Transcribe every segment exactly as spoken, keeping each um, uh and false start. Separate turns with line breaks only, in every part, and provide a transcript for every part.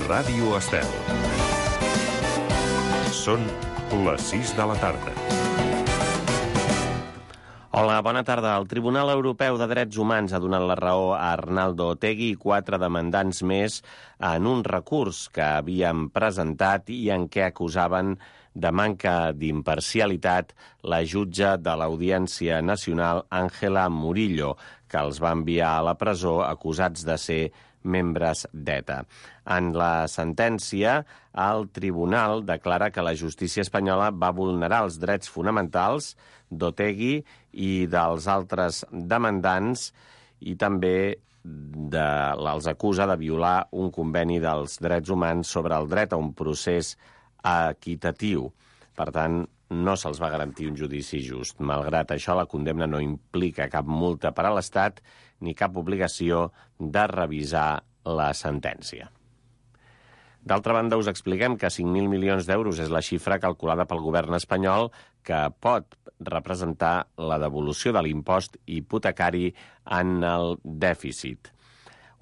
Ràdio Estel. Són les sis de la tarda.
Hola, bona tarda. El Tribunal Europeu de Drets Humans ha donat la raó a Arnaldo Otegi i quatre demandants més en un recurs que havien presentat i en què acusaven de manca d'imparcialitat la jutge de l'Audiència Nacional, Ángela Murillo, que els va enviar a la presó acusats de ser membres d'ETA. En la sentència, el tribunal declara que la justícia espanyola va vulnerar els drets fonamentals d'Otegi i dels altres demandants i també de, els acusa de violar un conveni dels drets humans sobre el dret a un procés equitatiu. Per tant, no se'ls va garantir un judici just. Malgrat això, la condemna no implica cap multa per a l'Estat ni cap obligació de revisar la sentència. D'altra banda, us expliquem que cinc mil milions d'euros és la xifra calculada pel govern espanyol que pot representar la devolució de l'impost hipotecari en el dèficit.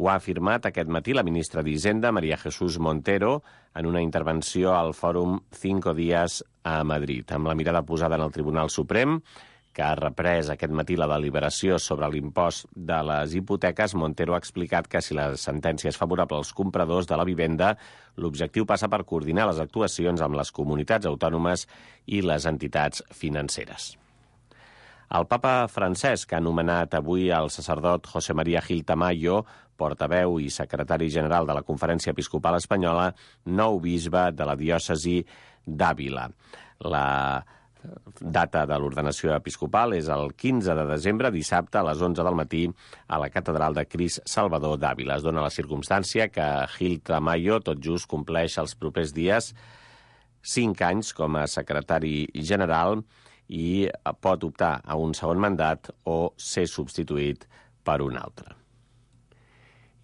Ho ha afirmat aquest matí la ministra d'Hisenda, María Jesús Montero, en una intervenció al fòrum Cinco Días a Madrid. Amb la mirada posada en el Tribunal Suprem, que ha reprès aquest matí la deliberació sobre l'impost de les hipoteques, Montero ha explicat que si la sentència és favorable als compradors de la vivenda, l'objectiu passa per coordinar les actuacions amb les comunitats autònomes i les entitats financeres. El papa Francesc ha nomenat avui el sacerdot José María Gil Tamayo, portaveu i secretari general de la Conferència Episcopal Espanyola, nou bisbe de la diòcesi d'Àvila. La data de l'ordenació episcopal és el quinze de desembre, dissabte, a les onze del matí, a la Catedral de Crist Salvador d'Àvila. Es dona la circumstància que Gil Tamayo tot just compleix els propers dies cinc anys com a secretari general i pot optar a un segon mandat o ser substituït per un altre.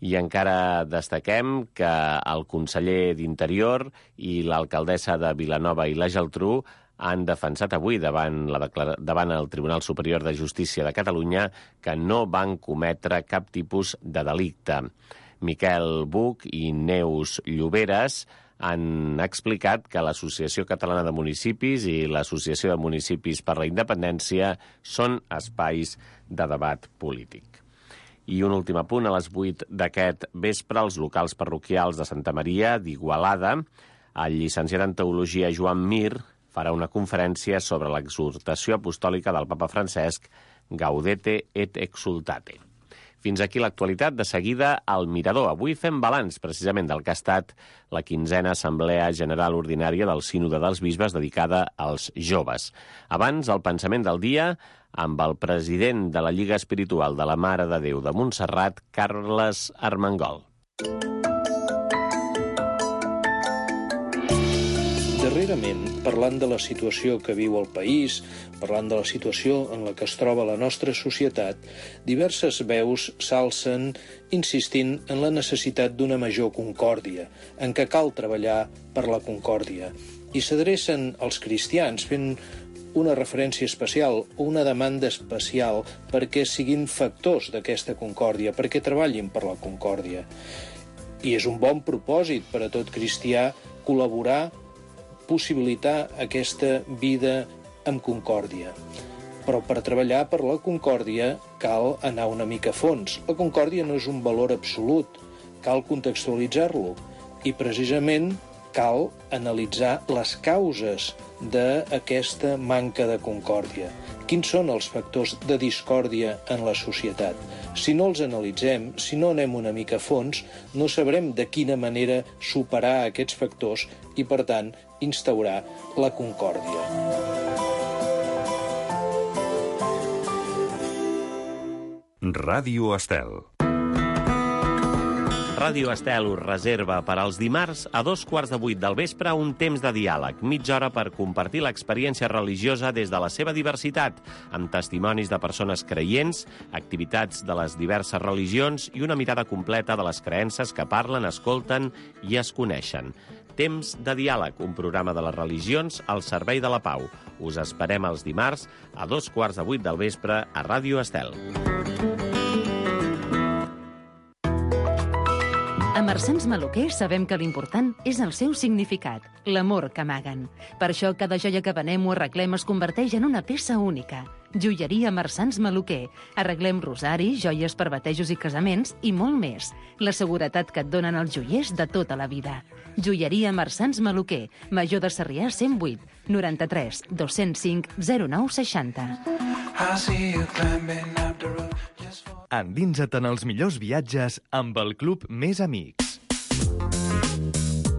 I encara destaquem que el conseller d'Interior i l'alcaldessa de Vilanova i la Geltrú han defensat avui davant, la declara... davant el Tribunal Superior de Justícia de Catalunya que no van cometre cap tipus de delicte. Miquel Buch i Neus Lloberes han explicat que l'Associació Catalana de Municipis i l'Associació de Municipis per la Independència són espais de debat polític. I un últim apunt, a les vuit d'aquest vespre, els locals parroquials de Santa Maria d'Igualada, el llicenciat en Teologia Joan Mir farà una conferència sobre l'exhortació apostòlica del papa Francesc, Gaudete et Exultate. Fins aquí l'actualitat. De seguida, al Mirador. Avui fem balanç, precisament, del que ha estat la quinzena Assemblea General Ordinària del Sínode dels Bisbes dedicada als joves. Abans, el pensament del dia amb el president de la Lliga Espiritual de la Mare de Déu de Montserrat, Carles Armengol.
Darrerament, parlant de la situació que viu el país, parlant de la situació en la que es troba la nostra societat, diverses veus s'alcen insistint en la necessitat d'una major concòrdia, en què cal treballar per la concòrdia. I s'adrecen als cristians fent una referència especial o una demanda especial perquè siguin factors d'aquesta concòrdia, perquè treballin per la concòrdia. I és un bon propòsit per a tot cristià col·laborar, possibilitar aquesta vida amb concòrdia. Però per treballar per la concòrdia cal anar una mica a fons. La concòrdia no és un valor absolut, cal contextualitzar-lo i precisament cal analitzar les causes d'aquesta manca de concòrdia. Quins són els factors de discòrdia en la societat? Si no els analitzem, si no anem una mica a fons, no sabrem de quina manera superar aquests factors i, per tant, instaurar la concòrdia.
Ràdio Estel.
Ràdio Estel us reserva per als dimarts a dos quarts de vuit del vespre un temps de diàleg, mitja hora per compartir l'experiència religiosa des de la seva diversitat, amb testimonis de persones creients, activitats de les diverses religions i una mirada completa de les creences que parlen, escolten i es coneixen. Temps de diàleg, un programa de les religions al servei de la pau. Us esperem els dimarts a dos quarts de vuit del vespre a Ràdio Estel.
A Marsans Maluquer sabem que l'important és el seu significat, l'amor que amaguen. Per això cada joia que venem o arreglem es converteix en una peça única. Joieria Marsans Maluquer. Arreglem rosaris, joies per batejos i casaments i molt més. La seguretat que et donen els joiers de tota la vida. Joieria Marsans Maluquer. Major de Sarrià cent vuit, noranta-tres, dos-cents cinc, zero nou seixanta.
Endinsa't en els millors viatges amb el Club Més Amics.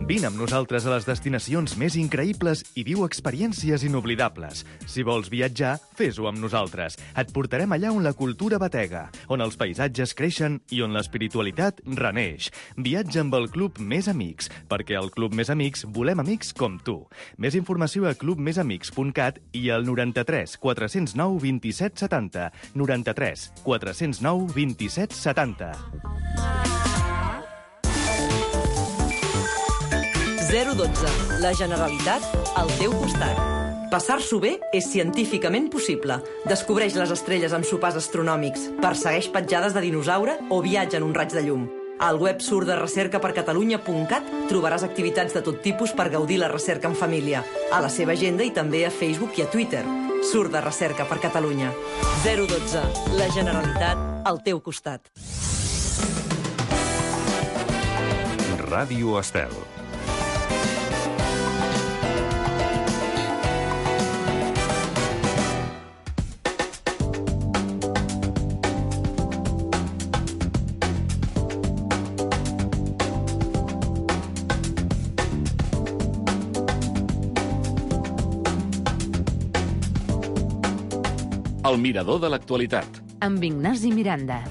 Vine amb nosaltres a les destinacions més increïbles i viu experiències inoblidables. Si vols viatjar, fes-ho amb nosaltres. Et portarem allà on la cultura batega, on els paisatges creixen i on l'espiritualitat reneix. Viatja amb el Club Més Amics, perquè al Club Més Amics volem amics com tu. Més informació a club més amics punt cat i al noranta-tres, quatre-cents nou, vint-i-set, setanta. noranta-tres, quatre-cents nou, vint-i-set, setanta.
zero dotze. La Generalitat al teu costat. Passar-s'ho bé és científicament possible. Descobreix les estrelles amb sopars astronòmics, persegueix petjades de dinosaure o viatja en un raig de llum. Al web surt de recerca per catalunya punt cat trobaràs activitats de tot tipus per gaudir la recerca en família, a la seva agenda i també a Facebook i a Twitter. Surt de recerca per Catalunya. zero dotze. La Generalitat al teu costat.
Ràdio Estel. El mirador de l'actualitat.
Amb Ignasi Miranda.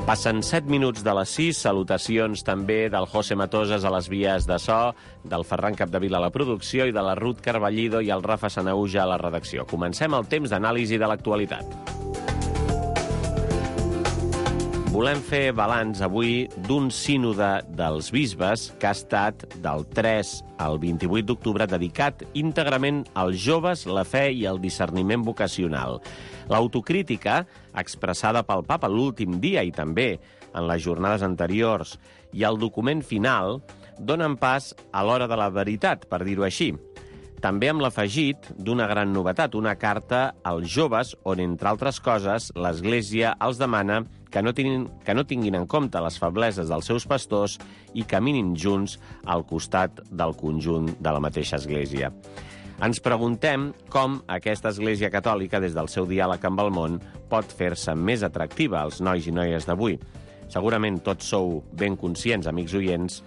Passen set minuts de les sis, salutacions també del José Matoses a les vies de so, del Ferran Capdevila a la producció i de la Ruth Carballido i el Rafa Sanauja a la redacció. Comencem el temps d'anàlisi de l'actualitat. Volem fer balanç avui d'un sínode dels bisbes que ha estat del tres al vint-i-vuit d'octubre dedicat íntegrament als joves, la fe i el discerniment vocacional. L'autocrítica, expressada pel papa l'últim dia i també en les jornades anteriors, i el document final donen pas a l'hora de la veritat, per dir-ho així. També amb l'afegit d'una gran novetat, una carta als joves on, entre altres coses, l'Església els demana que no tinguin, que no tinguin en compte les febleses dels seus pastors i caminin junts al costat del conjunt de la mateixa Església. Ens preguntem com aquesta Església Catòlica, des del seu diàleg amb el món, pot fer-se més atractiva als nois i noies d'avui. Segurament tots sou ben conscients, amics oients,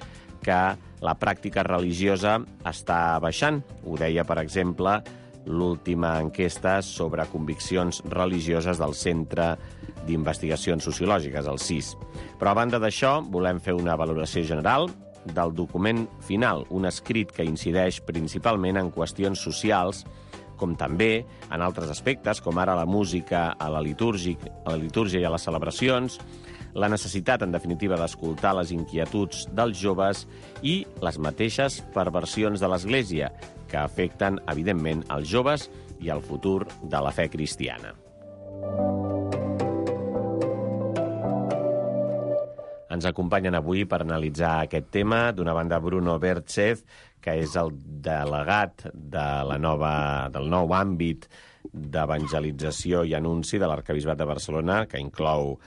que la pràctica religiosa està baixant. Ho deia, per exemple, l'última enquesta sobre conviccions religioses del Centre d'Investigacions Sociològiques, el C I S. Però a banda d'això, volem fer una valoració general del document final, un escrit que incideix principalment en qüestions socials, com també en altres aspectes, com ara la música a la litúrgia, a la litúrgia i a les celebracions, la necessitat, en definitiva, d'escoltar les inquietuds dels joves i les mateixes perversions de l'Església, que afecten, evidentment, els joves i el futur de la fe cristiana. Ens acompanyen avui per analitzar aquest tema, d'una banda, Bruno Berchez, que és el delegat de la nova, del nou àmbit d'evangelització i anunci de l'Arquebisbat de Barcelona, que inclou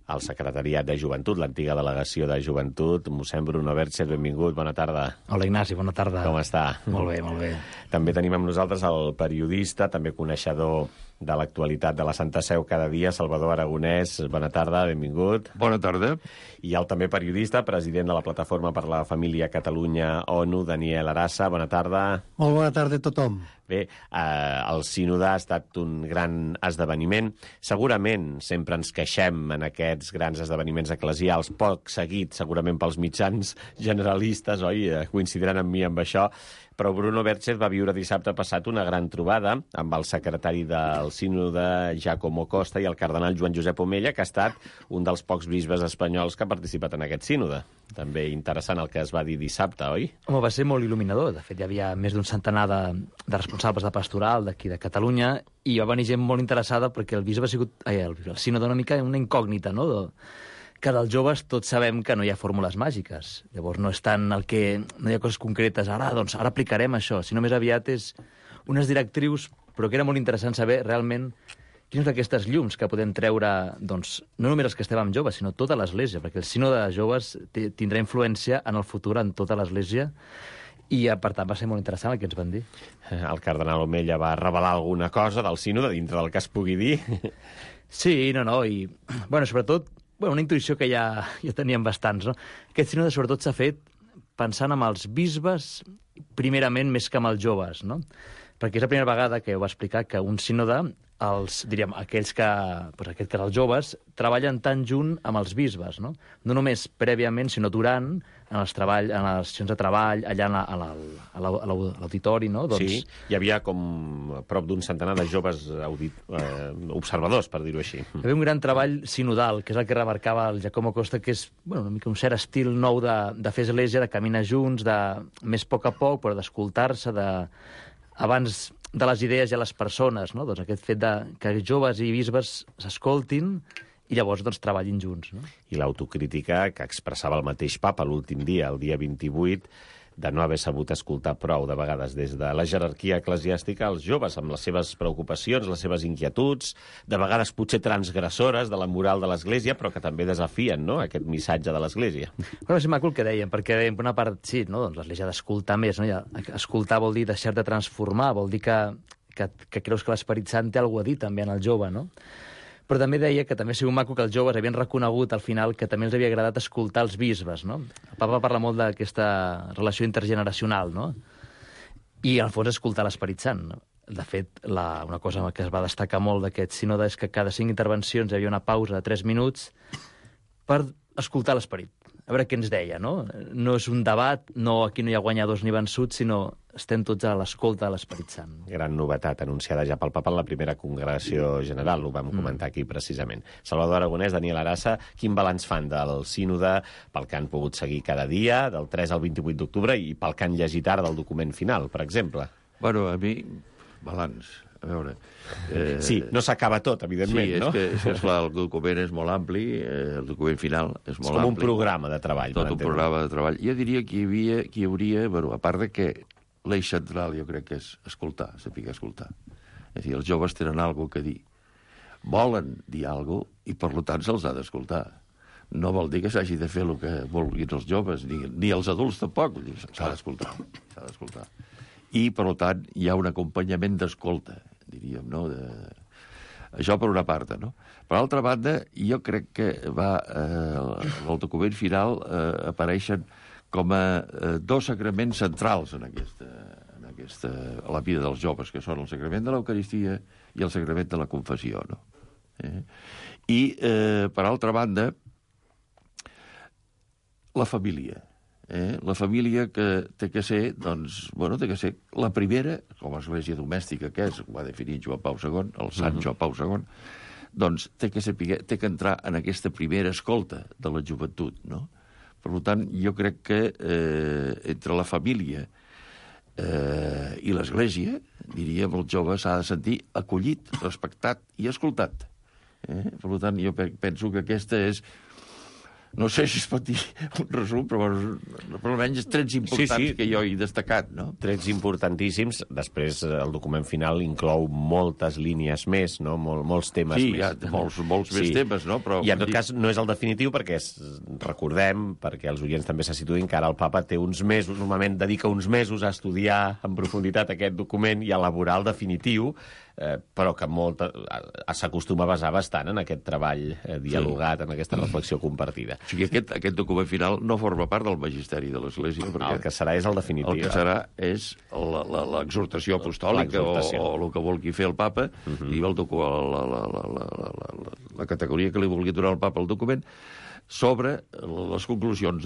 el Secretariat de Joventut, l'antiga delegació de Joventut. Mossèn Bruno Berchez, benvingut, bona tarda.
Hola, Ignasi, bona tarda.
Com està?
Molt bé, molt bé.
També tenim amb nosaltres el periodista, també coneixedor de l'actualitat de la Santa Seu cada dia, Salvador Aragonès. Bona tarda, benvingut.
Bona tarda.
I el també periodista, president de la Plataforma per la Família Catalunya-ONU, Daniel Arassa. Bona tarda.
Molt bona tarda a tothom.
Bé, eh, el sínode ha estat un gran esdeveniment. Segurament sempre ens queixem en aquests grans esdeveniments eclesials, poc seguit segurament pels mitjans generalistes, oi? Coincidiran amb mi amb això, Però Bruno Berchez va viure dissabte passat una gran trobada amb el secretari del sínode Giacomo Costa i el cardenal Joan Josep Omella, que ha estat un dels pocs bisbes espanyols que ha participat en aquest sínode. També interessant el que es va dir dissabte, oi?
Home, va ser molt il·luminador. De fet, hi havia més d'un centenar de, de responsables de pastoral d'aquí de Catalunya i va venir gent molt interessada perquè el bisbe ha sigut... Ai, el, el sínode una mica una incògnita, no?, de, que dels joves tots sabem que no hi ha fórmules màgiques. Llavors no és tant el que... No hi ha coses concretes. Ara, doncs, ara aplicarem això. Sinó més aviat és unes directrius, però que era molt interessant saber realment quines d'aquestes llums que podem treure, doncs, no només els que estem amb joves, sinó tota l'Església, perquè el sínode de joves tindrà influència en el futur en tota l'Església i, per tant, va ser molt interessant el que ens van dir.
El cardenal Omella va revelar alguna cosa del sínode, dintre del que es pugui dir.
Sí, no, no, i, bueno, sobretot, bueno, una intuïció que ja, ja teníem bastants, no? Aquest sínode, sobretot, s'ha fet pensant en els bisbes, primerament, més que en els joves, no? Perquè és la primera vegada que ho va explicar que un sínode, els, diríem, aquells que, doncs aquest que els joves, treballen tan junt amb els bisbes, no? No només prèviament, sinó durant, en els treball, en les sessions de treball, allà a l'auditori, no? Doncs...
Sí, hi havia com prop d'un centenar de joves audit, eh, observadors, per dir-ho així.
Hi havia un gran treball sinodal, que és el que remarcava el Giacomo Costa, que és, bueno, una mica un cert estil nou de, de fer església, de caminar junts, de més a poc a poc, però d'escoltar-se, de... abans de les idees i a les persones, no? Doncs aquest fet de que joves i bisbes s'escoltin i llavors doncs, treballin junts. No?
I l'autocrítica que expressava el mateix papa l'últim dia, el dia vint-i-vuit, de no haver sabut escoltar prou, de vegades, des de la jerarquia eclesiàstica, als joves, amb les seves preocupacions, les seves inquietuds, de vegades potser transgressores de la moral de l'Església, però que també desafien, no?, aquest missatge de l'Església.
Bueno, és maco el que dèiem, perquè dèiem, per una part, sí, no? Doncs l'Església ha d'escoltar més, no? Ja, escoltar vol dir deixar de transformar, vol dir que, que, que creus que l'Esperit Sant té alguna a dir també en el jove, no? Però també deia que també ha sigut maco que els joves havien reconegut al final que també els havia agradat escoltar els bisbes, no? El papa parla molt d'aquesta relació intergeneracional, no? I, al fons, escoltar l'Esperit Sant, no? De fet, la, una cosa que es va destacar molt d'aquest sínode és que cada cinc intervencions hi havia una pausa de tres minuts per escoltar l'Esperit. A veure què ens deia, no? No és un debat, no, aquí no hi ha guanyadors ni vençuts, sinó estem tots a l'escolta de l'Esperit Sant.
Gran novetat anunciada ja pel papa en la primera congregació general, ho vam comentar aquí precisament. Salvador Aragonès, Daniel Arassa, quin balanç fan del sínode pel que han pogut seguir cada dia, del tres al vint-i-vuit d'octubre, i pel que han llegit ara del document final, per exemple?
Bueno, a mi, balanç, a veure...
Eh... Sí, no s'acaba tot, evidentment,
sí,
no?
Sí, és que, és clar, el document és molt ampli, eh, el document final és molt ampli.
És com un programa de treball.
Tot un programa de treball. Jo diria que hi havia, que hi hauria, bueno, a part de que l'eix central jo crec que és escoltar, saber escoltar. És a dir, els joves tenen alguna que dir. Volen dir alguna cosa i, per tant, se'ls ha d'escoltar. No vol dir que s'hagi de fer el que vulguin els joves, ni, ni els adults tampoc. S'ha d'escoltar, s'ha d'escoltar. I, per tant, hi ha un acompanyament d'escolta, diríem, no? De... Això per una part, no? Per altra banda, jo crec que va, eh, el document final eh, apareixen com a eh, dos sacraments centrals en aquesta, en aquesta, a la vida dels joves, que són el sacrament de l'Eucaristia i el sacrament de la confessió, no? Eh? I, eh, per altra banda, la família. Eh? La família que té que ser, doncs, bueno, té que ser la primera, com a església domèstica que és, ho va definir Joan Pau segon, el sant Joan Pau segon, doncs té que, saber, té que entrar en aquesta primera escolta de la joventut, no? Per tant, jo crec que eh, entre la família eh, i l'església, diríem, el jove s'ha de sentir acollit, respectat i escoltat. Eh? Per tant, jo penso que aquesta és... No sé si es pot dir un resum, però, però almenys trets importants sí, sí. que jo he destacat, no?
Trets importantíssims. Després, el document final inclou moltes línies més, no? Mol, molts temes
sí,
més.
Sí, hi ha molts, molts sí. més temes, no? Però,
I en tot dir... cas no és el definitiu perquè, es, recordem, perquè els oients també se situïn, que ara el papa té uns mesos, normalment dedica uns mesos a estudiar en profunditat aquest document i a elaborar el definitiu, eh, però que molt, eh, s'acostuma a basar bastant en aquest treball eh, dialogat, sí. en aquesta reflexió compartida.
O sigui, aquest, aquest document final no forma part del magisteri de l'Església. Perquè
el que serà és el definitiu.
El que serà és l'exhortació apostòlica o, o el que vulgui fer el papa, uh -huh. i el docu, la, la, la, la, la, la, la categoria que li vulgui donar el papa al document, sobre les conclusions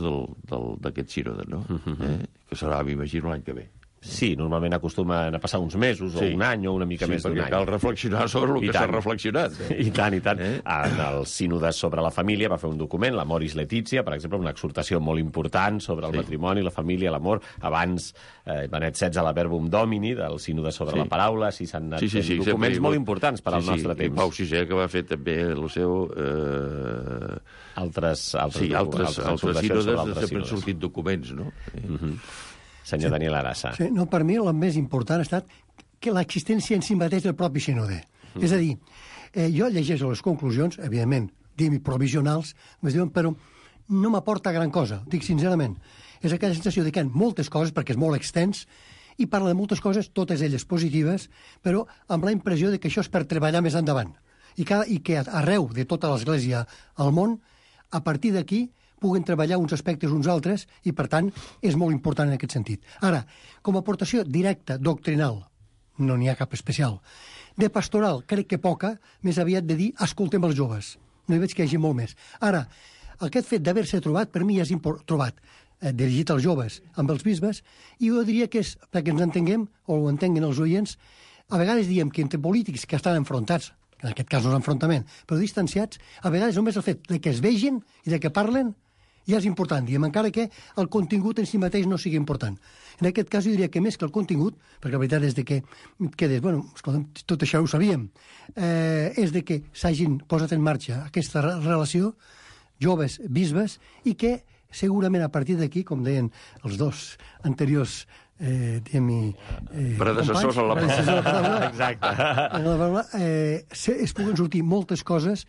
d'aquest sínode, no? Uh -huh. eh? Que serà, m'imagino, l'any que ve.
Sí, normalment acostumen a passar uns mesos o
Sí.
un any o una mica
Sí,
més d'un any.
perquè cal reflexionar sobre el
I
que s'ha
tant.
reflexionat. Eh?
I tant, i tant.
Eh?
En el sínode sobre la família va fer un document, la Moris Letizia, per exemple, una exhortació molt important sobre el
Sí.
matrimoni, la família, l'amor. Abans, eh, Benet setze, la Verbum Domini, del sínode sobre
Sí.
la paraula, si s'han anat
Sí, sí,
fent
sí, sempre
documents
hi ha
molt
hagut-
importants per al
sí,
nostre
sí,
temps.
I Pau sisè, que va fer també el seu... Eh...
Altres, altres,
Sí, altres, altres
exhortacions
sínodes,
sobre altres
sempre han
sínodes.
sortit documents, no? Eh?
Mhm. Senyor Daniel Arassa.
Sí, no, per mi el més important ha estat que l'existència en si mateix del propi sínode. Mm. És a dir, eh, jo llegeixo les conclusions, evidentment, diguem provisionals, però no m'aporta gran cosa, dic sincerament. És aquella sensació de que hi ha moltes coses, perquè és molt extens, i parla de moltes coses, totes elles positives, però amb la impressió de que això és per treballar més endavant. I, cada, i que arreu de tota l'Església al món, a partir d'aquí, puguen treballar uns aspectes uns altres i, per tant, és molt important en aquest sentit. Ara, com a aportació directa, doctrinal, no n'hi ha cap especial. De pastoral, crec que poca, més aviat de dir, escoltem els joves. No hi veig que hi hagi molt més. Ara, aquest fet d'haver-se trobat, per mi ja és import, trobat, eh, dirigit als joves, amb els bisbes, i jo diria que és, perquè ens entenguem, o ho entenguen els oients, a vegades diem que entre polítics que estan enfrontats, en aquest cas no és enfrontament, però distanciats, a vegades només el fet de que es vegin i de que parlen ja és important, diem, encara que el contingut en si mateix no sigui important. En aquest cas jo diria que més que el contingut, perquè la veritat és de que quedes, bueno, escolta'm, tot això ho sabíem, eh, és de que s'hagin posat en marxa aquesta relació, joves, bisbes, i que segurament a partir d'aquí, com deien els dos anteriors eh, diguem-hi... Eh,
Predecessors a la
paraula.
Exacte.
En la paraula, eh, se, es puguen sortir moltes coses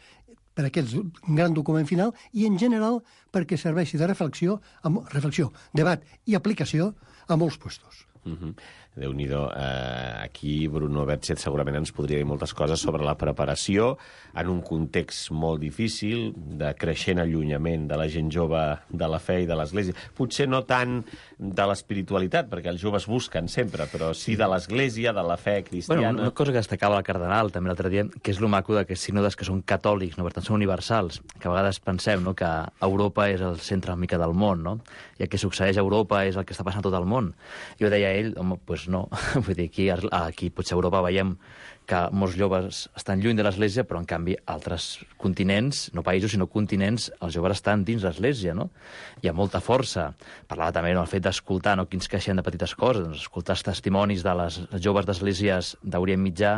per aquest gran document final i, en general, perquè serveixi de reflexió, amb, reflexió, debat i aplicació a molts puestos.
Mm-hmm. Déu-n'hi-do. Eh, aquí Bruno Betxet segurament ens podria dir moltes coses sobre la preparació en un context molt difícil, de creixent allunyament de la gent jove de la fe i de l'Església. Potser no tant de l'espiritualitat, perquè els joves busquen sempre, però sí de l'Església, de la fe cristiana.
Bueno, una cosa que destacava el cardenal també l'altre dia, que és lo maco d'aquests sínodes que són catòlics, no? Per tant, són universals, que a vegades pensem, no?, que Europa és el centre una mica del món, no? I el que succeeix a Europa és el que està passant a tot el món. Jo deia a ell, home, doncs no, vull dir, aquí, aquí potser a Europa veiem que molts joves estan lluny de l'Església, però en canvi altres continents, no països, sinó continents, els joves estan dins l'Església, no? Hi ha molta força. Parlava també del fet d'escoltar, no?, quins queixen de petites coses, doncs, escoltar els testimonis de les joves d'esglésies d'Orient Mitjà,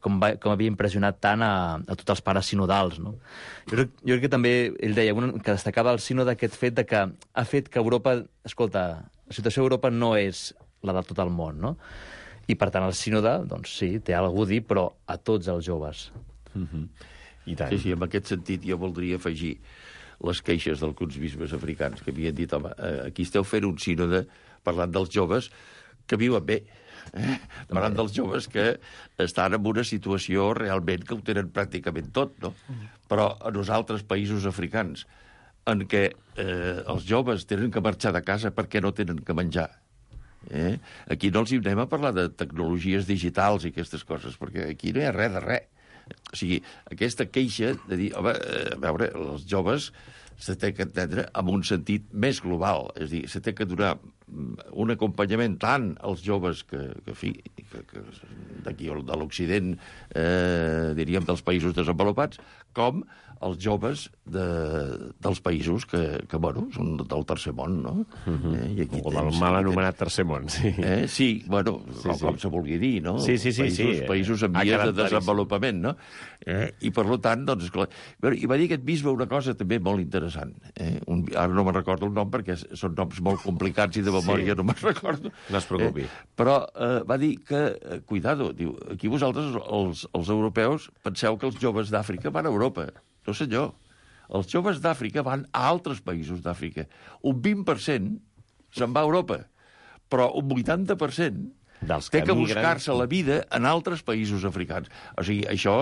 com, va, com havia impressionat tant a, a tots els pares sinodals, no? Jo crec, jo crec que també, ell deia, un, que destacava el sínode aquest fet de que ha fet que Europa, escolta, la situació d'Europa no és la de tot el món, no? I, per tant, el sínode, doncs sí, té alguna a dir, però a tots els joves.
Mm-hmm. I tant.
Sí, sí, en aquest sentit jo voldria afegir les queixes d'alguns bisbes africans que havien dit, home, aquí esteu fent un sínode parlant dels joves que viuen bé, eh? Parlant dels joves que estan en una situació realment que ho tenen pràcticament tot, no? Però en els altres països africans en què eh, els joves tenen que marxar de casa perquè no tenen que menjar, Eh? Aquí no els hi anem a parlar de tecnologies digitals i aquestes coses, perquè aquí no hi ha res de res. O sigui, aquesta queixa de dir, home, a veure, els joves se té que entendre amb un sentit més global, és a dir, se té que donar un acompanyament tant als joves que, que, fi, que, que d'aquí de l'Occident, eh, diríem, dels països desenvolupats, com els joves de, dels països que, que, bueno, són del tercer món, no?
Mm-hmm.
eh, I aquí
o del
tens,
mal
aquí
anomenat tercer món, sí.
Eh? Sí, bueno,
sí,
com,
sí.
com se vulgui dir, no?
Sí, sí, sí.
Països,
sí.
països en
Ha
vies
quedat
de desenvolupament, no? Eh? I, per tant, doncs, esclar... I va dir aquest bisbe una cosa també molt interessant. Eh? Un... Ara no me'n recordo el nom, perquè són noms molt complicats i de memòria sí. no me'n recordo.
No es preocupi.
Eh? Però eh, va dir que, eh, cuidado, diu, aquí vosaltres, els, els europeus, penseu que els joves d'Àfrica van a Europa. No, senyor. Els joves d'Àfrica van a altres països d'Àfrica. Un vint per cent se'n va a Europa, però un vuitanta per cent
Dels
té
que
que
migren...
buscar-se la vida en altres països africans. O sigui, això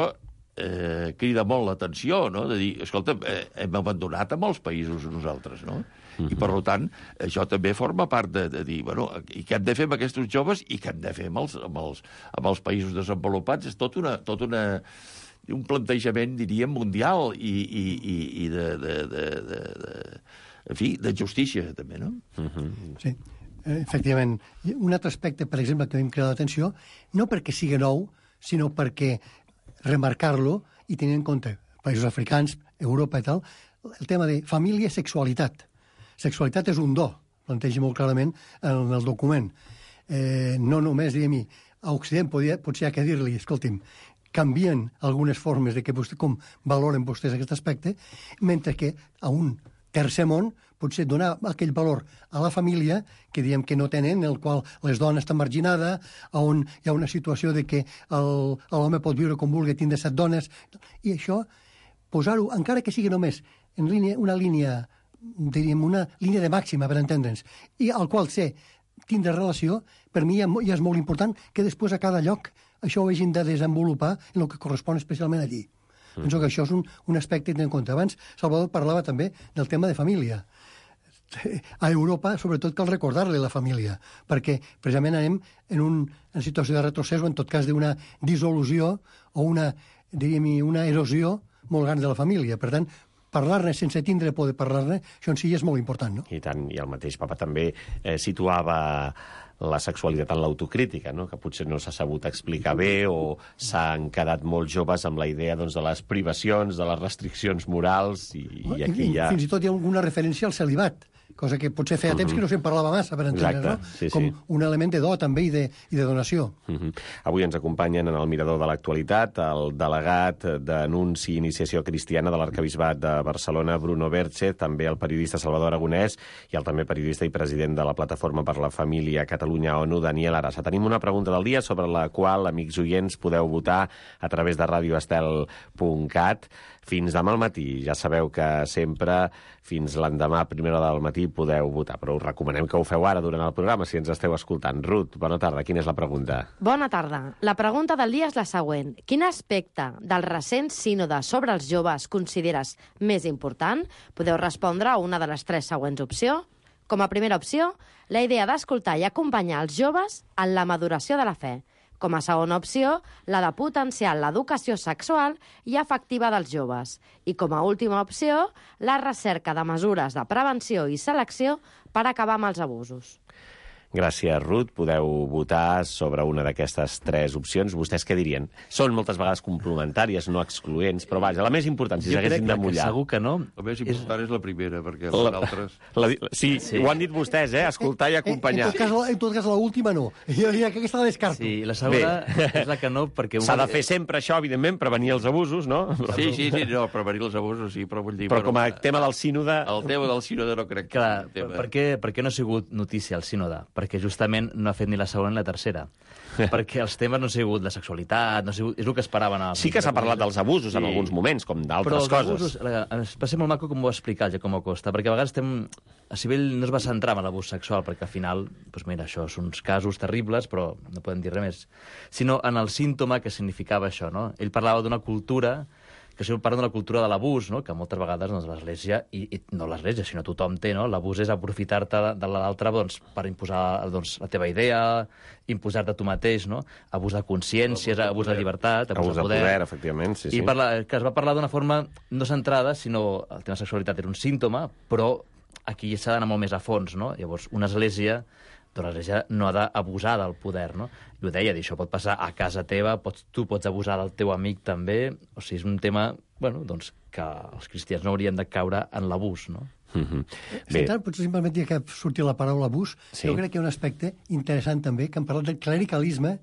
eh, crida molt l'atenció, no?, de dir, escolta, eh, hem abandonat a molts països nosaltres, no? Mm-hmm. I, per tant, això també forma part de, de dir, bueno, i què hem de fer amb aquests joves i què hem de fer amb els, amb els, amb els països desenvolupats? És tot una... Tot una un plantejament, diríem, mundial i, i, i, i de, de, de, de, de, en fi, de justícia, també, no?
Mm-hmm.
Sí. eh, efectivament. Un altre aspecte, per exemple, que a mi em crida l'atenció, no perquè sigui nou, sinó perquè remarcar-lo i tenir en compte països africans, Europa i tal, el tema de família i sexualitat. Sexualitat és un do, planteja molt clarament en el document. Eh, no només, diguem-hi, a Occident podia, potser hi ha que dir-li, escolti'm, canvien algunes formes de que vostè, com valoren vostès aquest aspecte, mentre que a un tercer món potser donar aquell valor a la família que diem que no tenen, en el qual les dones estan marginades, on hi ha una situació de que l'home pot viure com vulgui, tindre set dones, i això, posar-ho, encara que sigui només en línia, una línia, diríem, una línia de màxima, per entendre'ns, i al qual sé tindre relació, per mi ja, ja és molt important que després a cada lloc això ho hagin de desenvolupar en el que correspon especialment allí. Mm. Penso que això és un, un aspecte a tenir en compte. Abans Salvador parlava també del tema de família. A Europa, sobretot, cal recordar-li la família, perquè precisament anem en una situació de retrocés o, en tot cas, d'una dissolució o una, diríem, una erosió molt gran de la família. Per tant, parlar-ne sense tindre por de parlar-ne, això en si és molt important, no?
I tant, i el mateix papa també eh, situava la sexualitat en l'autocrítica, no? Que potser no s'ha sabut explicar bé o s'han quedat molt joves amb la idea doncs, de les privacions, de les restriccions morals, i, i aquí hi ha...
Fins i tot hi ha alguna referència al celibat, cosa que potser feia temps que no se'n parlava massa, per entendre, no?
Sí,
com
sí.
un element de do també i de, i de donació.
Uh -huh. Avui ens acompanyen en el Mirador de l'Actualitat el delegat d'Anunci i Iniciació Cristiana de l'Arquebisbat de Barcelona, Bruno Berche, també el periodista Salvador Aragonès i el també periodista i president de la Plataforma per la Família Catalunya-ONU, Daniel Arassa. Tenim una pregunta del dia sobre la qual, amics oients, podeu votar a través de radio estel punt cat. Fins demà al matí. Ja sabeu que sempre fins l'endemà a primera hora del matí podeu votar, però us recomanem que ho feu ara durant el programa si ens esteu escoltant. Ruth, bona tarda. Quina és la pregunta?
Bona tarda. La pregunta del dia és la següent. Quin aspecte del recent sínode sobre els joves consideres més important? Podeu respondre a una de les tres següents opcions. Com a primera opció, la idea d'escoltar i acompanyar els joves en la maduració de la fe. Com a segona opció, la de potenciar l'educació sexual i afectiva dels joves. I com a última opció, la recerca de mesures de prevenció i selecció per acabar amb els abusos.
Gràcies, Ruth. Podeu votar sobre una d'aquestes tres opcions. Vostès què dirien? Són moltes vegades complementàries, no excloents, però vaja, la més important, si s'haguessin de mullar.
Segur que no.
La més important és, és la primera, perquè
la,
les altres...
La, sí, sí, ho han dit vostès, eh? Escoltar i acompanyar.
En tot cas, en tot cas l'última no. Jo diria que aquesta la descarto.
Sí, la segona Bé. és la que no, perquè...
S'ha de fer sempre això, evidentment, prevenir els abusos, no?
Sí, sí, sí, no, prevenir els abusos, sí, però vull dir...
Però com a tema del sínode...
El tema del sínode no crec que...
Clar, per què, per què no ha sigut notícia el sínode? Perquè justament no ha fet ni la segona ni la tercera. Perquè els temes no han sigut la sexualitat, no ha sigut, és el que esperaven. A...
Sí que s'ha parlat dels abusos sí. en alguns moments, com d'altres coses. Però els
abusos, va ser molt maco com ho va explicar el Giacomo Costa, perquè a vegades estem... A Sibel no es va centrar en l'abús sexual, perquè al final, doncs mira, això són uns casos terribles, però no podem dir res més. Sinó en el símptoma que significava això, no? Ell parlava d'una cultura que això parla de la cultura de l'abús, no? Que moltes vegades doncs, l'Església, i, i no l'Església, sinó tothom té, no? L'abús és aprofitar-te de, de l'altre doncs, per imposar doncs, la teva idea, imposar-te tu mateix, no? Abús de consciència, abús de llibertat, abús,
abús de poder. poder, efectivament, sí, sí.
I parla, que es va parlar d'una forma no centrada, sinó el tema de sexualitat era un símptoma, però aquí s'ha d'anar molt més a fons, no? Llavors, una església, doncs l'església no ha d'abusar del poder, no? I ho deia, això pot passar a casa teva, pots, tu pots abusar del teu amic també, o sigui, és un tema, bueno, doncs, que els cristians no haurien de caure en l'abús, no?
Mm-hmm.
Bé. Tant, potser si em permetia que surti la paraula abús, sí. Jo crec que hi ha un aspecte interessant també, que hem parlat del clericalisme,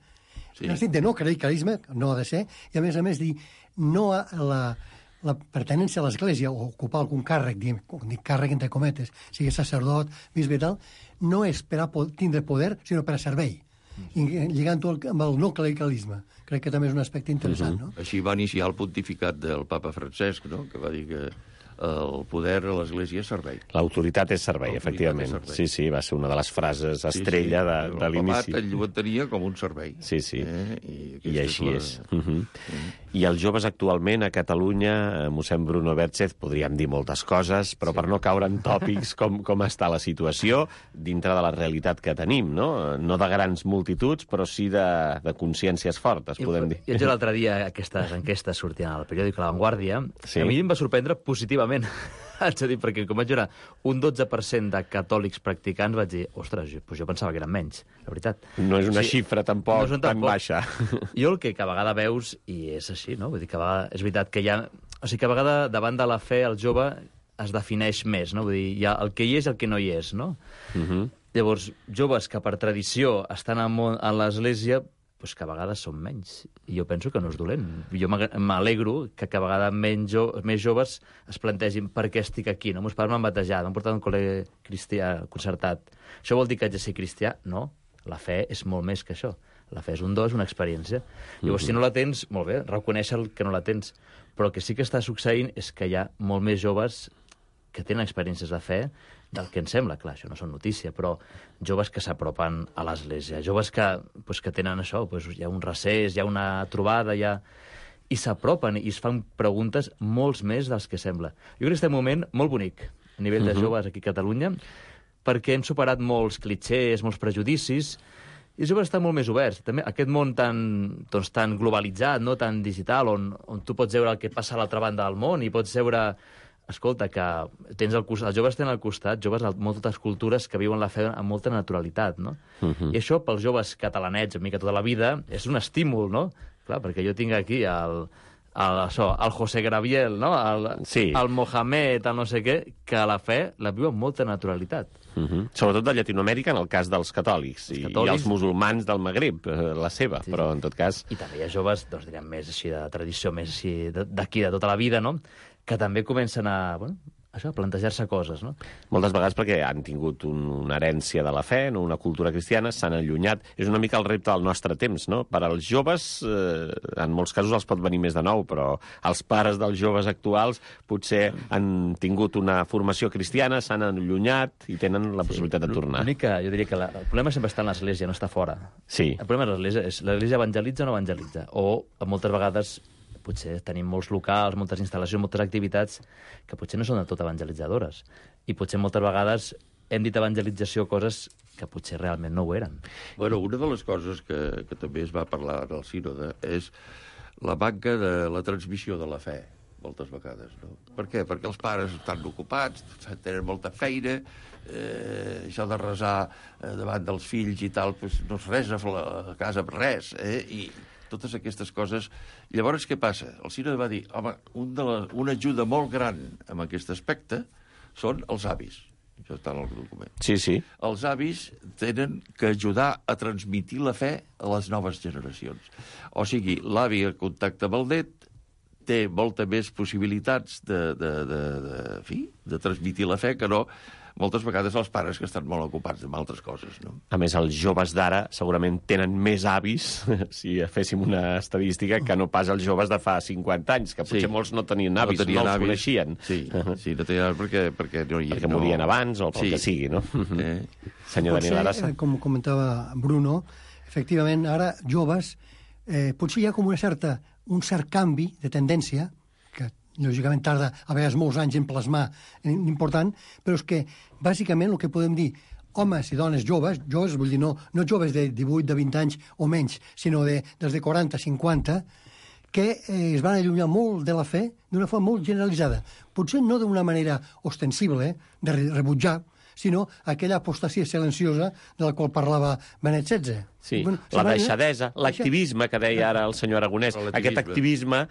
sí. No estic de no clericalisme, no ha de ser, i a més a més dir no a la... la pertinença a l'Església o ocupar algun càrrec, diguem, dic càrrec entre cometes, sigui sacerdot, bisbe i tal, no és per a tindre poder, sinó per a servei. I lligant-ho amb el no clericalisme. Crec que també és un aspecte interessant, no?
Així va iniciar el pontificat del papa Francesc, no? Que va dir que el poder a l'Església és servei.
L'autoritat és servei, efectivament. És servei. Sí, sí, va ser una de les frases estrella sí, sí. de, de l'inici.
El papat ell ho tenia com un servei.
Sí, sí.
Eh? I,
I així és. La... és. Uh -huh.
uh-huh.
I els joves actualment a Catalunya, mossèn Bruno Berchez, podríem dir moltes coses, però sí. per no caure en tòpics com, com està la situació dintre de la realitat que tenim, no? No de grans multituds, però sí de, de consciències fortes, podem I, dir.
I l'altre dia aquestes enquestes sortien al periòdic La Vanguardia, sí. A mi em va sorprendre positivament. Haig de dir, perquè com vaig veure un dotze per cent de catòlics practicants, vaig dir, ostres, jo, pues jo pensava que eren menys, la veritat.
No és una sí, xifra tampoc no tan tampoc. baixa.
Jo el que a vegada veus, i és així, no? Vull dir que a vegada, és veritat que hi ha... O sigui que a vegada davant de la fe el jove es defineix més, no? Vull dir, hi ha el que hi és i el que no hi és, no?
Uh -huh.
Llavors, joves que per tradició estan a l'església, pues que a vegades són menys. I jo penso que no és dolent. Jo m'alegro que a vegades menys jo, més joves es plantegin per què estic aquí. No? Meus pares m'han batejat, m'han portat a un col·le cristià concertat. Això vol dir que haig de ser cristià? No. La fe és molt més que això. La fe és un do, és una experiència. Llavors, si no la tens, molt bé, reconèixer que no la tens. Però el que sí que està succeint és que hi ha molt més joves que tenen experiències de fe del que ens sembla. Clar, això no són notícia, però joves que s'apropen a l'església, joves que, pues, que tenen això, pues, hi ha un recés, hi ha una trobada, hi ha... i s'apropen i es fan preguntes molts més dels que sembla. Jo crec que estem en un moment molt bonic a nivell de joves aquí a Catalunya, perquè hem superat molts clitxers, molts prejudicis, i els joves estan molt més oberts. També aquest món tan, doncs, tan globalitzat, no? Tan digital, on, on tu pots veure el que passa a l'altra banda del món i pots veure... Escolta, que tens el costat, els joves tenen al costat, joves de moltes cultures que viuen la fe amb molta naturalitat, no? Uh -huh. I això, pels joves catalanets, a mi que tota la vida, és un estímul, no? Clar, perquè jo tinc aquí el, el, això, el José Graviel, no? El,
sí.
el Mohamed, el no sé què, que la fe la viu amb molta naturalitat.
Uh -huh. Sobretot de Llatinoamèrica, en el cas dels catòlics, els catòlics i, i els musulmans del Magrib, la seva, sí. Però en tot cas...
I també hi ha joves, doncs direm, més així de tradició, més així d'aquí, de tota la vida, no?, que també comencen a, bueno, això, a plantejar-se coses, no?
Moltes vegades perquè han tingut un, una herència de la fe, no? Una cultura cristiana, s'han allunyat. És una mica el repte del nostre temps, no? Per als joves, eh, en molts casos els pot venir més de nou, però els pares dels joves actuals potser han tingut una formació cristiana, s'han allunyat i tenen la possibilitat sí, de tornar.
L'únic que jo diria que la, el problema sempre està en l'església, no està fora.
Sí.
El problema és l'església, és l'església evangelitza o no evangelitza, o moltes vegades... potser tenim molts locals, moltes instal·lacions, moltes activitats que potser no són del tot evangelitzadores. I potser moltes vegades hem dit evangelització coses que potser realment no ho eren.
Bueno, una de les coses que, que també es va parlar al sínode és la manca de la transmissió de la fe, moltes vegades, no? Per què? Perquè els pares estan ocupats, tenen molta feina, eh, això de resar eh, davant dels fills i tal, pues, no es resa a casa per res, eh? I totes aquestes coses. Llavors, què passa? El sínode va dir, home, un de la, una ajuda molt gran en aquest aspecte són els avis. Això està en el document.
Sí, sí.
Els avis tenen que ajudar a transmitir la fe a les noves generacions. O sigui, l'avi en contacte amb el net té molta més possibilitats de, de, de, de, fi, de transmitir la fe que no moltes vegades els pares que estan molt ocupats amb altres coses, no?
A més, els joves d'ara segurament tenen més avis, si féssim una estadística, que no pas els joves de fa cinquanta anys, que potser sí. molts no tenien avis, no, tenien no els avis. Coneixien.
Sí, sí, no tenien avis perquè, perquè no hi
perquè
no...
morien abans o pel sí. que sigui, no? Eh. Senyor
potser,
Daniel Arassa.
Com comentava Bruno, efectivament, ara joves, eh, potser hi ha com una certa, un cert canvi de tendència, que lògicament tarda a vegades molts anys en plasmar important, però és que bàsicament el que podem dir, homes i dones joves, joves vull dir no, no joves de divuit, de vint anys o menys, sinó de, dels de quaranta, cinquanta, que eh, es van allunyar molt de la fe d'una forma molt generalitzada. Potser no d'una manera ostensible, eh, de rebutjar, sinó aquella apostasia silenciosa de la qual parlava Benet setze.
Sí, bueno, la deixadesa, l'activisme que deia ara el senyor Aragonès, aquest activisme,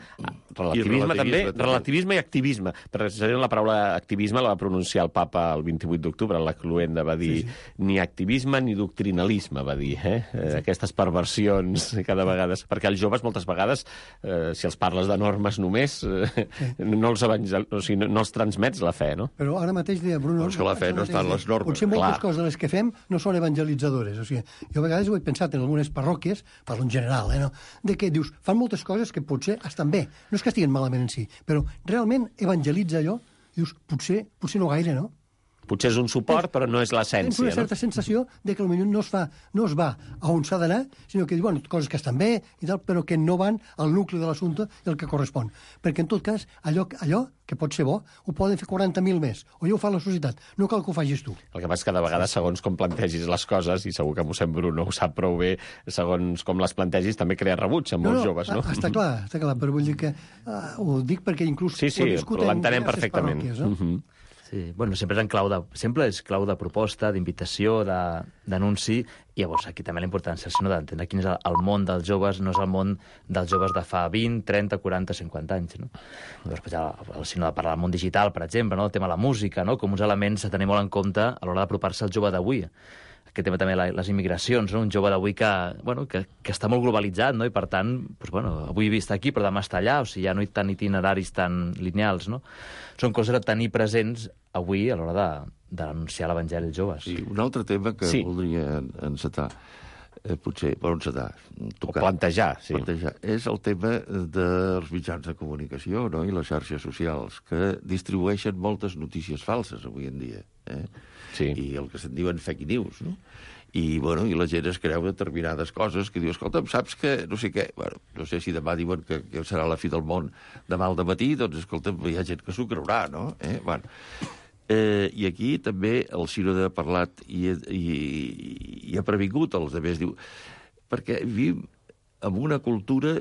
relativisme també, també, relativisme i activisme. Precisament la paraula activisme la va pronunciar el papa el vint-i-vuit d'octubre, la Cluenda va dir sí, sí. ni activisme ni doctrinalisme, va dir, eh? Sí. Aquestes perversions cada vegada, perquè els joves moltes vegades, eh, si els parles de normes només, eh, sí. no, els evangel... o sigui, no, no els transmets la fe, no?
Però ara mateix deia Bruno...
Però és que la fe no està en les normes.
Potser moltes Clar. coses de les que fem no són evangelitzadores. O sigui, jo a vegades ho he pensat en algunes parròquies, parlo en general, eh, no? De que dius, fan moltes coses que potser estan bé. No és que estiguin malament en si, però realment evangelitza allò, dius, potser, potser no gaire, no?
Potser és un suport, però no és l'essència.
Tens una certa
no?
sensació de que potser no es, fa, no es va a on s'ha d'anar, sinó que diu, bueno, coses que estan bé i tal, però que no van al nucli de l'assumpte i el que correspon. Perquè, en tot cas, allò, allò que pot ser bo, ho poden fer quaranta mil més, o ja ho fa la societat, no cal que ho facis tu.
El que passa és que de vegades, segons com plantegis les coses, i segur que mossèn Bruno ho sap prou bé, segons com les plantegis, també crea rebuig amb molts
no, no,
joves, no?
Està clar, està clar, però vull dir que uh, ho dic perquè inclús
sí, sí,
ho he viscut en
l'entenem perfectament.
Parròquies, no? Uh-huh.
Sí, bueno, sempre és en clau de, sempre és clau de proposta, d'invitació, de- d'anunci, i llavors aquí també la importància, sinó d'entendre quin és el, el món dels joves, no és el món dels joves de fa vint, trenta, quaranta, cinquanta anys, no? Després, el, el sinó de parlar del món digital, per exemple, no? El tema de la música, no? Com uns elements a tenir molt en compte a l'hora d'apropar-se al jove d'avui. Aquest tema també, la- les immigracions, no? Un jove d'avui que, bueno, que, que està molt globalitzat, no? I per tant, doncs, bueno, avui està aquí, però demà està allà, o sigui, ja no hi ha tant itineraris tan lineals, no? Són coses a tenir presents avui a l'hora de, d'anunciar l'Evangeli als joves.
Sí, un altre tema que
Sí.
sí. voldria encetar, eh, potser, per encetar, tocar,
O plantejar, sí.
plantejar, és el tema dels mitjans de comunicació, no?, i les xarxes socials, que distribueixen moltes notícies falses avui en dia, eh?
Sí.
I el que se'n diuen fake news, no? I, bueno, i la gent es creu determinades coses que diu, escolta'm, saps que no sé què? Bueno, no sé si demà diuen que, que serà la fi del món demà al dematí, doncs, escolta'm, hi ha gent que s'ho creurà, no? Eh? Bueno, eh, i aquí també el Sínode ha parlat i, i, i ha previngut els altres, diu, perquè vivim en una cultura,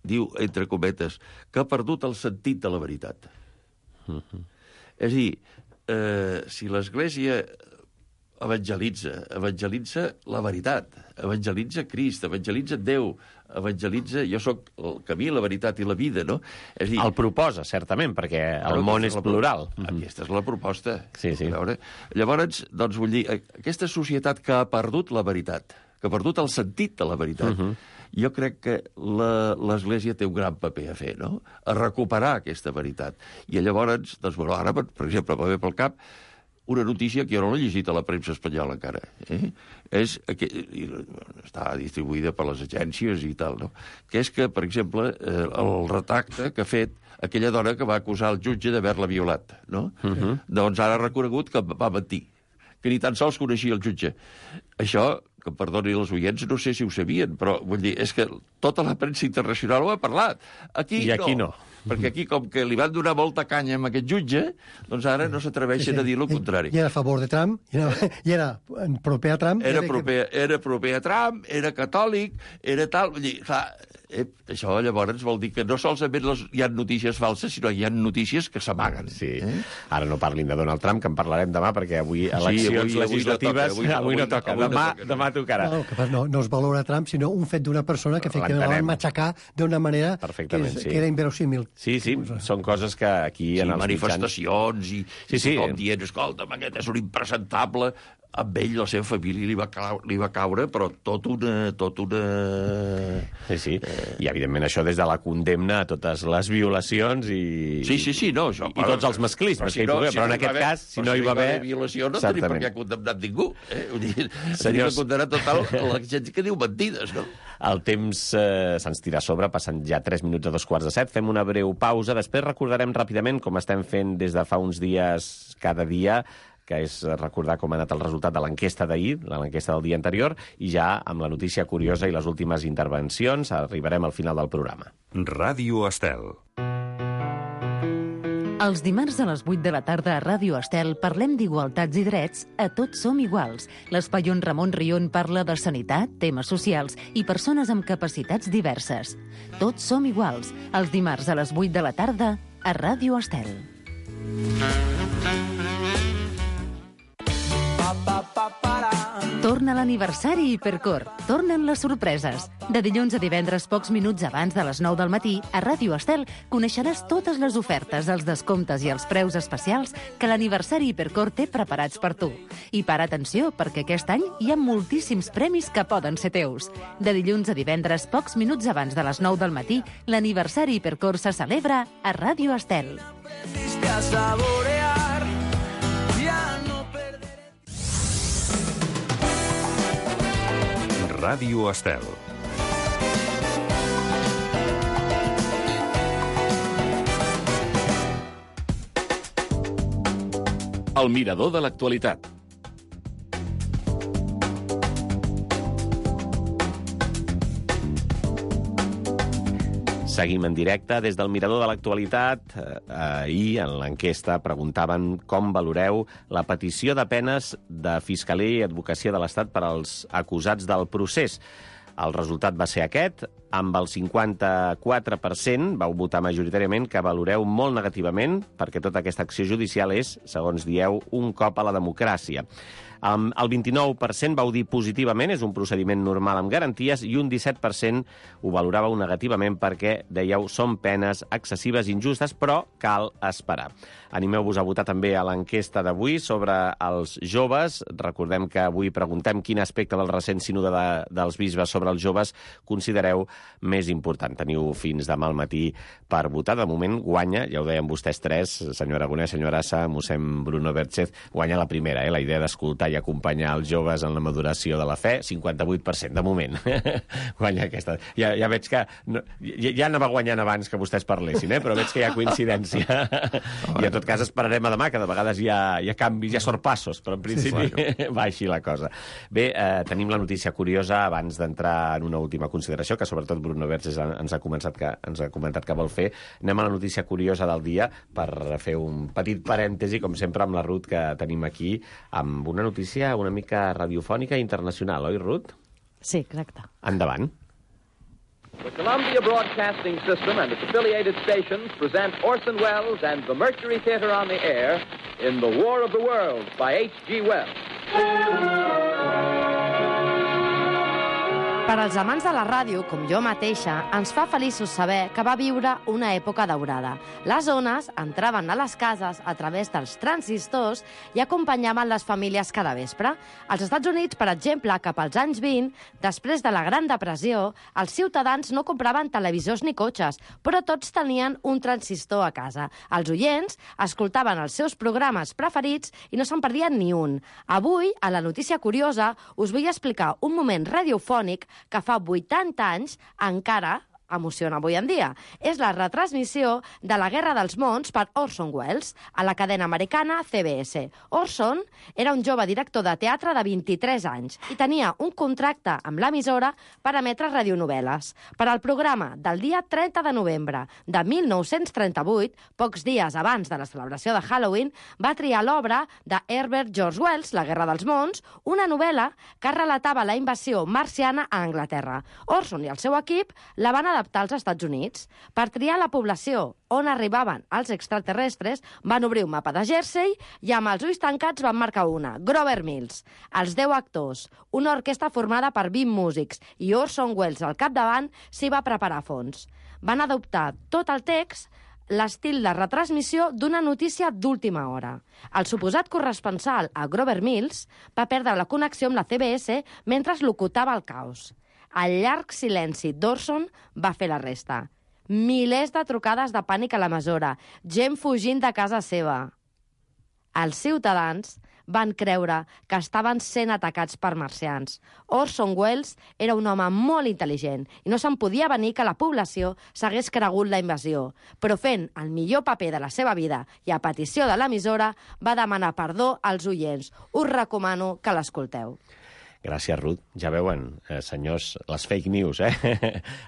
diu, entre cometes, que ha perdut el sentit de la veritat.
Mhm.
És a dir, eh, si l'Església evangelitza, evangelitza la veritat, evangelitza Crist, evangelitza Déu, evangelitza... Jo sóc el camí, la veritat i la vida, no? És a dir,
El proposa, certament, perquè el
Claro,
món és
aquesta la pro-
plural.
Aquesta és la proposta.
Sí, sí.
A veure, llavors, doncs, vull dir, aquesta societat que ha perdut la veritat, que ha perdut el sentit de la veritat,
Mhm.
jo crec que la- l'Església té un gran paper a fer, no?, a recuperar aquesta veritat. I llavors, doncs, bueno, ara, per, per exemple, va bé pel cap una notícia que jo no l'he llegit a la premsa espanyola encara. Eh? És que, i, està distribuïda per les agències i tal, no? Que és que, per exemple, eh, el retracte que ha fet aquella dona que va acusar el jutge d'haver-la violat, no? Uh-huh. Doncs ara ha reconegut que va mentir, que ni tan sols coneixia el jutge. Això, que em perdoni els oients, no sé si ho sabien, però vull dir, és que tota la premsa internacional ho ha parlat. Aquí
I aquí no.
no. Perquè aquí, com que li van donar molta canya amb aquest jutge, doncs ara no s'atreveixen a dir el contrari.
I era a favor de Trump, i era, i era proper a Trump.
Era
i
proper, era proper a Trump, era catòlic, era tal... Vull dir, clar, eh, això llavors vol dir que no solament les, hi ha notícies falses, sinó hi ha notícies que s'amaguen.
Sí.
Eh?
Ara no parlin de Donald Trump, que en parlarem demà, perquè avui eleccions
avui- avui no
legislatives...
toca, avui no-
avui no
avui no-
toca.
avui no
Demà,
toca.
demà tocarà.
No, que no, no es valora Trump, sinó un fet d'una persona que efectivament la
L'entenem.
van matxacar d'una manera que,
Perfectament,
és,
sí.
que era inverosímil.
Sí, sí, són coses que aquí
Sí,
en els
manifestacions i,
Sí,
i
sí.
tothom dient, escolta'm, aquest és un impresentable. Amb ell, la seva família li va, caure, li va caure, però tot una... Tot una...
mitjans. Sí, sí. I, evidentment, això des de la condemna a totes les violacions i...
Sí, sí, sí, no, això...
I tots els masclismes que hi pugui haver, però en aquest cas, si no hi va haver...
violació, no tenim per què condemnar ningú. Eh? Vull dir,
Senyors-
tenim que condemnar total la gent que diu mentides, no?
El temps eh, se'ns tira a sobre, passen ja tres minuts a dos quarts de set. Fem una breu pausa. Després recordarem ràpidament, com estem fent des de fa uns dies cada dia, que és recordar com ha anat el resultat de l'enquesta d'ahir, l'enquesta del dia anterior, i ja amb la notícia curiosa i les últimes intervencions arribarem al final del programa.
Ràdio Estel.
Els dimarts a les vuit de la tarda a Ràdio Estel parlem d'igualtats i drets a Tots som iguals. L'espai on Ramon Rion parla de sanitat, temes socials i persones amb capacitats diverses. Tots som iguals, els dimarts a les vuit de la tarda a Ràdio Estel. Torna l'aniversari Hipercor. Tornen les sorpreses. De dilluns a divendres, pocs minuts abans de les nou del matí, a Ràdio Estel coneixeràs totes les ofertes, els descomptes i els preus especials que l'aniversari Hipercor té preparats per tu. I para atenció, perquè aquest any hi ha moltíssims premis que poden ser teus. De dilluns a divendres, pocs minuts abans de les nou del matí, l'aniversari Hipercor se celebra a Ràdio Estel.
Ràdio Estel.
El mirador de l'actualitat.
Seguim en directe des del Mirador de l'Actualitat. Eh, ahir, en l'enquesta, preguntaven com valoreu la petició de penes de Fiscalia i Advocacia de l'Estat per als acusats del procés. El resultat va ser aquest. amb el cinquanta-quatre per cent, vau votar majoritàriament, que valoreu molt negativament, perquè tota aquesta acció judicial és, segons dieu, un cop a la democràcia. Um, el vint-i-nou per cent vau dir positivament, és un procediment normal amb garanties, i un disset per cent ho valoràveu negativament perquè, dèieu, són penes excessives i injustes, però cal esperar. Animeu-vos a votar també a l'enquesta d'avui sobre els joves. Recordem que avui preguntem quin aspecte del recent sínode de, dels bisbes sobre els joves considereu més important. Teniu fins demà al matí per votar. De moment guanya, ja ho deien vostès tres, senyor Aragonès, senyor Arassa, mossèn Bruno Berchez, guanya la primera, eh? La idea d'escoltar i acompanyar els joves en la maduració de la fe, cinquanta-vuit per cent de moment. Guanya aquesta. Ja, ja veig que... No, ja, ja anava guanyant abans que vostès parlessin, eh? Però veig que hi ha coincidència. I en tot cas esperarem a demà, que de vegades hi ha, hi ha canvis, hi ha sorpassos, però en principi sí, sí. Va així la cosa. Bé, eh, tenim la notícia curiosa abans d'entrar en una última consideració, que sobretot Bruno Berchez ens ha, començat que, ens ha comentat que vol fer. Anem a la notícia curiosa del dia per fer un petit parèntesi, com sempre, amb la Ruth que tenim aquí, amb una notícia una mica radiofònica internacional, oi, Ruth?
Sí, exacte.
Endavant.
The Columbia Broadcasting System and its affiliated stations present Orson Welles and the Mercury Theatre on the Air in The War of the Worlds by H G Wells.
Per als amants de la ràdio, com jo mateixa, ens fa feliços saber que va viure una època daurada. Les ones entraven a les cases a través dels transistors i acompanyaven les famílies cada vespre. Als Estats Units, per exemple, cap als anys vint, després de la Gran Depressió, els ciutadans no compraven televisors ni cotxes, però tots tenien un transistor a casa. Els oients escoltaven els seus programes preferits i no se'n perdien ni un. Avui, a la notícia curiosa, us vull explicar un moment radiofònic que fa vuitanta anys encara emociona avui en dia. És la retransmissió de la Guerra dels Mons per Orson Welles a la cadena americana C B S. Orson era un jove director de teatre de vint-i-tres anys i tenia un contracte amb l'emissora per emetre radionovel·les. Per al programa del dia trenta de novembre de mil nou-cents trenta-vuit, pocs dies abans de la celebració de Halloween, va triar l'obra de Herbert George Wells, La Guerra dels Mons, una novel·la que relatava la invasió marciana a Anglaterra. Orson i el seu equip la van adaptar als Estats Units. Per triar la població on arribaven els extraterrestres, van obrir un mapa de Jersey i amb els ulls tancats van marcar una, Grover Mills. Els deu actors, una orquestra formada per vint músics i Orson Welles al capdavant s'hi va preparar a fons. Van adoptar tot el text, l'estil de retransmissió d'una notícia d'última hora. El suposat corresponsal a Grover Mills va perdre la connexió amb la C B S mentre es locutava el caos. El llarg silenci d'Orson va fer la resta. Milers de trucades de pànic a l'emissora, gent fugint de casa seva. Els ciutadans van creure que estaven sent atacats per marcians. Orson Welles era un home molt intel·ligent i no se'n podia venir que la població s'hagués cregut la invasió, però fent el millor paper de la seva vida i a petició de l'emissora va demanar perdó als oients. Us recomano que l'escolteu.
Gràcies, Ruth. Ja veuen, eh, senyors, les fake news, eh?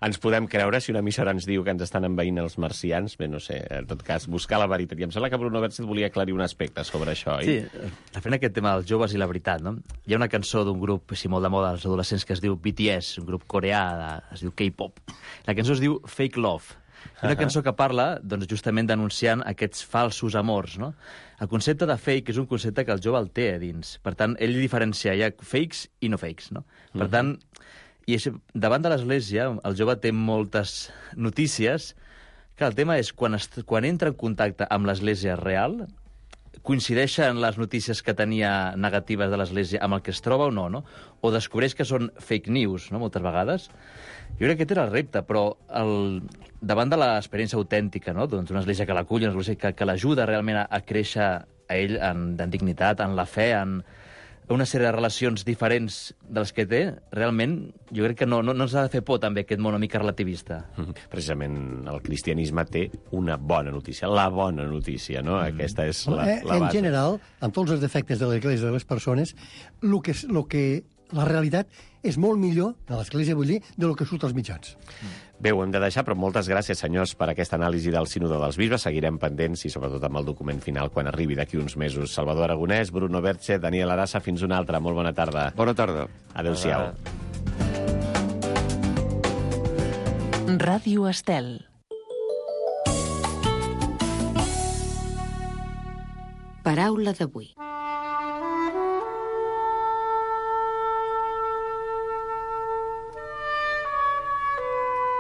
Ens podem creure si una emissora ens diu que ens estan envaint els marcians? Bé, no sé, en tot cas, buscar la veritat. I em sembla que Bruno Berchez volia aclarir un aspecte sobre això, oi?
Sí, referent a aquest tema dels joves i la veritat, no? Hi ha una cançó d'un grup, així molt de moda, als adolescents, que es diu B T S, un grup coreà, de, es diu K-pop. La cançó es diu Fake Love. Una cançó que parla, doncs, justament denunciant aquests falsos amors, no? El concepte de fake és un concepte que el jove el té a dins. Per tant, ell diferencia, hi ha fakes i no fakes, no? Per tant, i això, davant de l'Església, el jove té moltes notícies, que el tema és, quan, es, quan entra en contacte amb l'Església real, coincideixen les notícies que tenia negatives de l'Església amb el que es troba o no, no? O descobreix que són fake news, no?, moltes vegades. Jo crec que aquest era el repte, però el, davant de l'experiència autèntica, no?, doncs una església que l'acull, una església que, que l'ajuda realment a, a créixer a ell en, en dignitat, en la fe, en una sèrie de relacions diferents de les que té, realment jo crec que no, no, no ens ha de fer por també aquest món una mica relativista.
Precisament el cristianisme té una bona notícia, la bona notícia, no? Mm. Aquesta és la, la base.
En general, amb tots els defectes de l'Església de les persones, el que, lo que la realitat és molt millor, de l'Església vull dir, de lo que surt als mitjans.
Bé, ho hem de deixar, però moltes gràcies, senyors, per aquesta anàlisi del Sínode dels Bisbes. Seguirem pendents i, sobretot, amb el document final quan arribi d'aquí uns mesos. Salvador Aragonès, Bruno Berchez, Daniel Arassa, fins una altra. Molt bona tarda.
Bona tarda.
Adéu-siau.
Ràdio Estel.
Paraula d'avui.